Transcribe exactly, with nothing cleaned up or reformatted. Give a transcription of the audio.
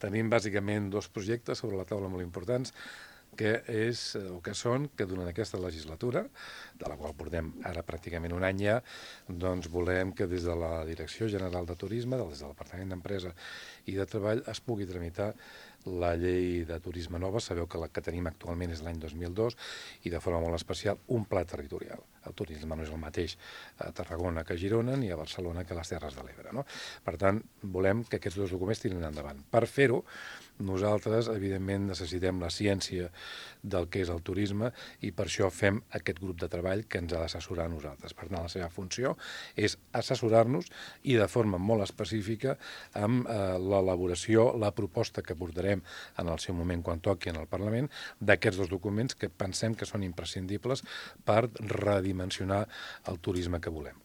Tenim bàsicament dos projectes sobre la taula molt importants, que és, o que són, que durant aquesta legislatura, de la qual portem ara pràcticament un any ja, doncs volem que des de la Direcció General de Turisme, des del Departament d'Empresa i de Treball, es pugui tramitar la llei de turisme nova. Sabeu que la que tenim actualment és l'any dos mil dos i de forma molt especial un pla territorial. El turisme no és el mateix a Tarragona que a Girona ni a Barcelona que a les Terres de l'Ebre, no? Per tant, volem que aquests dos documents tirin endavant. Per fer-ho, nosaltres, evidentment, necessitem la ciència del que és el turisme i per això fem aquest grup de treball que ens ha d'assessorar a nosaltres. Per tant, la seva funció és assessorar-nos i de forma molt específica amb eh, l'elaboració, la proposta que portarem en el seu moment quan toqui en el Parlament d'aquests dos documents que pensem que són imprescindibles per redimensionar el turisme que volem.